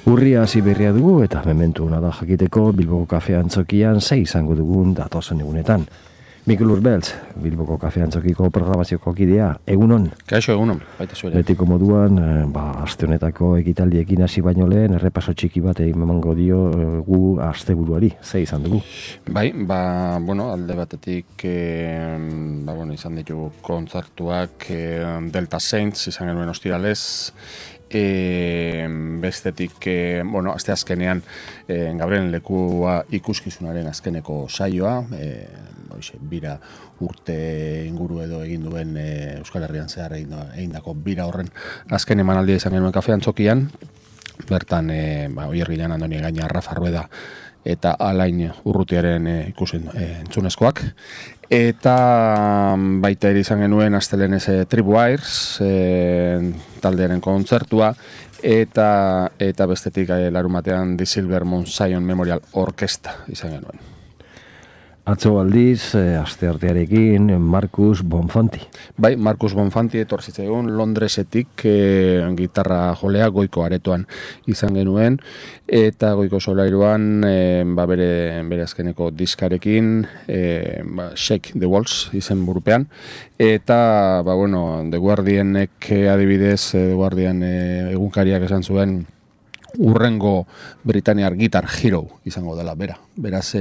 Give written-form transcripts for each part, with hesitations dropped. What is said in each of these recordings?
Urria hasi berria dugu eta mementu ona da jakiteko Bilboko Kafe Antzokian sei izango dugun datozen egunetan. Mikel Urbeltz, Bilboko Kafe Antzokiko programazioko kidea, egunon? Kaixo, egunon, baita zuere. Betiko moduan, aste honetako ekitaldiekin hasi baino lehen, errepaso txiki bat emango dio gu asteburuari, ze izan dugu? Bai, alde batetik, izan ditu kontzertuak Delta Saints izan genuen ostiralez, bestetik, aste azkenean Gabrielen lekua ikuskizunaren azkeneko saioa, bira urte inguru edo egin duen Euskal Herrian zehar egindako bira horren azken emanaldia izan genuen Kafe Antzokian. Bertan, Oiergilan Andoni Gaina, Rafa Rueda eta Alain Urrutiaren entzunezkoak. Eta baita ere izan genuen astelenez Tribu Airs taldearen kontzertua, eta bestetik larumatean The Silver Moon Zion Memorial Orkestra izan genuen. Atzo aldiz, asteartearekin, Markus Bonfanti. Bai, Markus Bonfanti etorzitzaigun Londresetik gitarra jolea Goiko aretoan izan genuen, eta Goiko solairuan bere azkeneko diskarekin Shake the Walls izen burupean, eta The Guardianek adibidez, The Guardian egunkariak esan zuen urrengo Britaniar Guitar Hero izango dela bera. Beraz,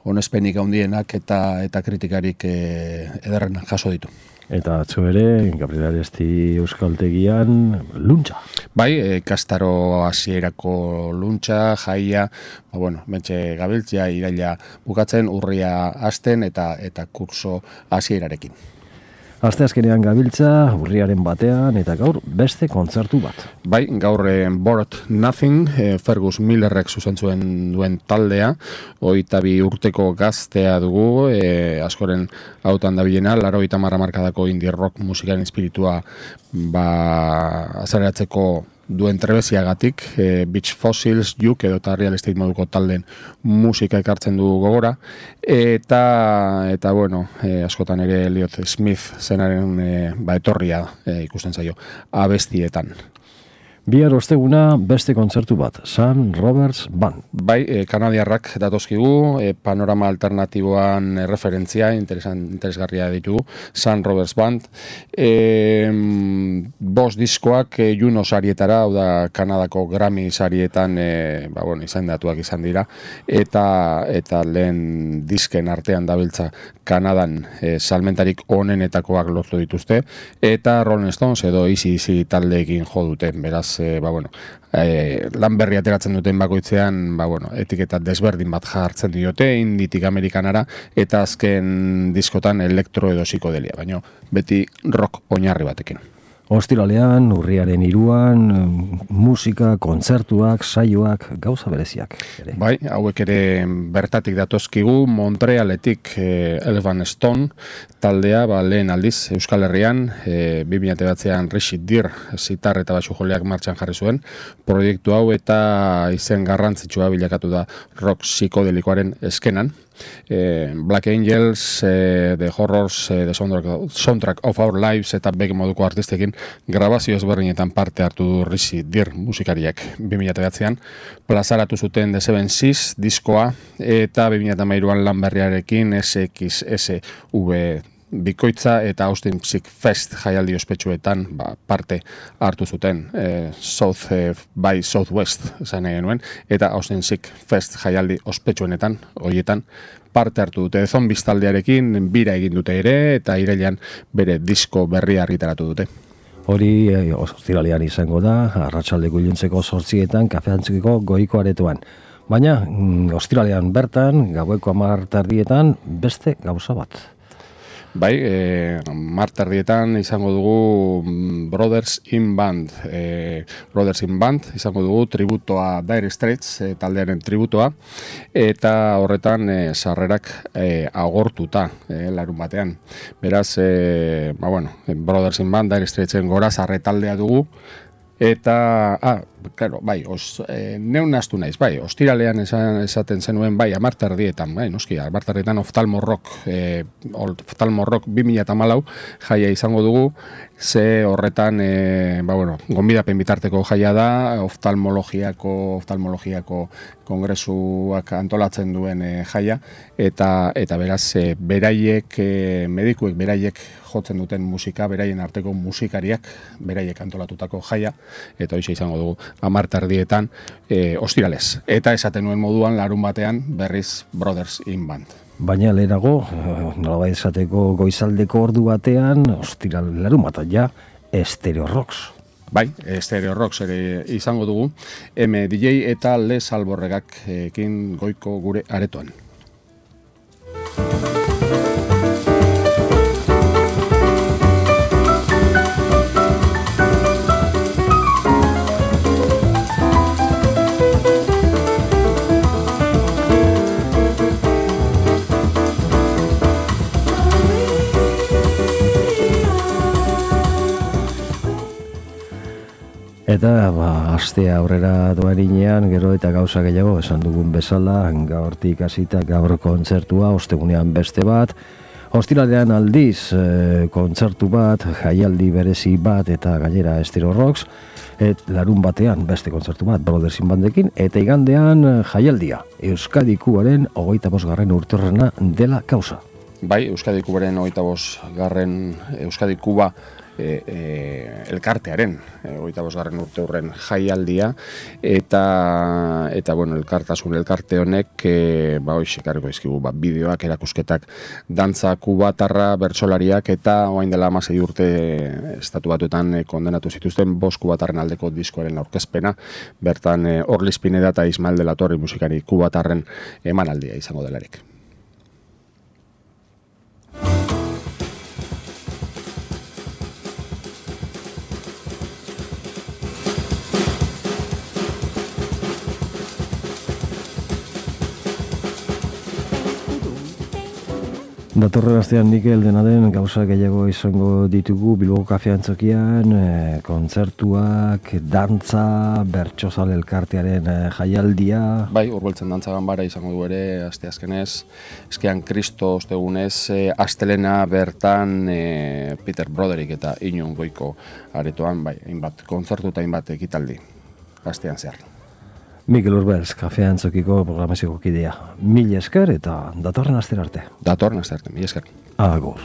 onespenik handienak eta kritikarik ederren jaso ditu. Eta atzo ere, Gabriel Aresti Euskaltegian, luntza. Bai, kastaro hasierako luntza, jaia, mentxe gabiltzia, iraila bukatzen, urria hasten eta kurso hasierarekin. Aste azkenean gabiltza, urriaren batean, eta gaur beste kontzertu bat. Bai, gaur Bored Nothing, Fergus Millerrek zuzentzuen duen taldea, 22 urteko gaztea dugu, askoren hautan dabilena, 80 markadako indie rock musikaren espiritua azaleratzeko duen trebeziagatik, Beach Fossils, Juk edo eta Real Estate moduko talden musika ekartzen du gogora, eta askotan ere Elliot Smith zenaren etorria ikusten zaio abestietan. Bihar osteguna beste kontzertu bat, Sam Roberts Band. Bai, kanadiarrak datozkigu, panorama alternatiboan referentzia, interesgarria ditugu, Sam Roberts Band. 5 diskoak Juno sarietara, hau da Kanadako Grammy sarietan izendatuak izan dira, eta lehen disken artean dabiltza Kanadan salmentarik onenetakoak lortu dituzte, eta Rolling Stones edo Easy taldeekin jo dute, beraz, lan berri ateratzen duten bakoitzean, etiketa desberdin bat jartzen diote, inditik amerikanara, eta azken diskotan elektro edo psikodelia, baina beti rock oinarri batekin. Ostiralean, urriaren 3an, musika, kontzertuak, saioak, gauza bereziak. Ere. Bai, hauek ere bertatik datozkigu, Montrealetik Elephant Stone taldea, lehen aldiz Euskal Herrian, 2009an Rashid Dir zitar eta basu joleak martxan jarri zuen, proiektu hau eta izen garrantzitsua bilakatu da rock psikodelikoaren eskenan. Black Angels, The Horrors, The Soundtrack of Our Lives eta bege moduko artistekin grabazio ezberdinetan parte hartu du Rashid Dir musikariak 2009an plazaratu zuten The Seven Seas diskoa, eta 2013an lan berriarekin SXSV bikoitza eta Austin Psic Fest jaialdi ospetsuetan parte hartu zuten, South by Southwest esan genuen, eta Austin Psic Fest jaialdi ospetsuenetan horietan parte hartu dute. Zombies taldearekin bira egin dute ere, eta irailean bere disko berria argitaratu dute. Hori ostiralean izango da, arratsaldeko iluntzeko 8etan Kafe Antzokiko Goiko aretoan. Baina, ostiralean bertan, gaueko 10:00 beste gauza bat. Bai, marterdietan izango dugu Brothers in Band. Brothers in Band izango dugu tributoa Dire Straits, taldearen tributoa, eta horretan sarrerak agortuta larun batean. Beraz, Brothers in Band, Dire Straitsen gora sarre taldea dugu, eta claro, bai, neun astu naiz, bai, ostiralean esaten zenuen, bai, 10:00, bai, noski, 10:00 oftalmorrok 2014 jaia izango dugu, ze horretan, gonbidapen bitarteko jaia da, oftalmologiako kongresuak antolatzen duen jaia, eta beraz, medikuek beraiek jotzen duten musika, beraien arteko musikariak, beraiek antolatutako jaia, eta hoxe izango dugu 10:00 ostiralez. Eta esaten nuen moduan, larun batean, berriz Brothers in Band. Baina lehenago, nolabait esateko goizaldeko ordu batean, larun bat ja, Stereo Rocks. Bai, Stereo Rocks ere izango dugu, DJ eta Les Alborregak ekin goiko gure aretoan. Eta, astea aurrera doarinean, gero eta gauza gehiago, esan dugun bezala, gaurtik hasita gaur kontzertua, ostegunean beste bat, ostiralean aldiz kontzertu bat, jaialdi berezi bat eta gainera Stereo Rocks, larun batean beste kontzertu bat, Brothers in Bandekin, eta igandean jaialdia, Euskadi Kubaren 25. urteurrena dela kausa. Bai, Euskadi Kubaren 25. Euskadi Kuba elkartearen 25. urteurren jaialdia eta bueno, elkarte honek hoxe ekarriko dizkigu bideoak, erakusketak, dantza kubatarra, bertsolariak eta orain dela 16 urte Estatu Batuetan kondenatu zituzten 5 kubatarren aldeko diskoaren aurkezpena, bertan Orliz Pineda eta Ismael de la Torre musikari kubatarren emanaldia izango delarik. Datorren astean Mikel dena den gauza gehiago izango ditugu Bilboko Kafe Antzokian, kontzertuak, dantza, bertsozale elkartearen jaialdia. Bai, Urbeltzen dantza ganbara izango du ere, asteazkenez, eskean Kristo ostegunez, astelena bertan Peter Broderick eta Iñun Goiko aretoan, bai, hainbat kontzertu eta hainbat ekitaldi, astean zehar. Mikel Urbeltz, Kafe Antzokiko programazioko kidea. Mila esker eta datorren astera arte. Datorren astera arte, mila esker. Agur.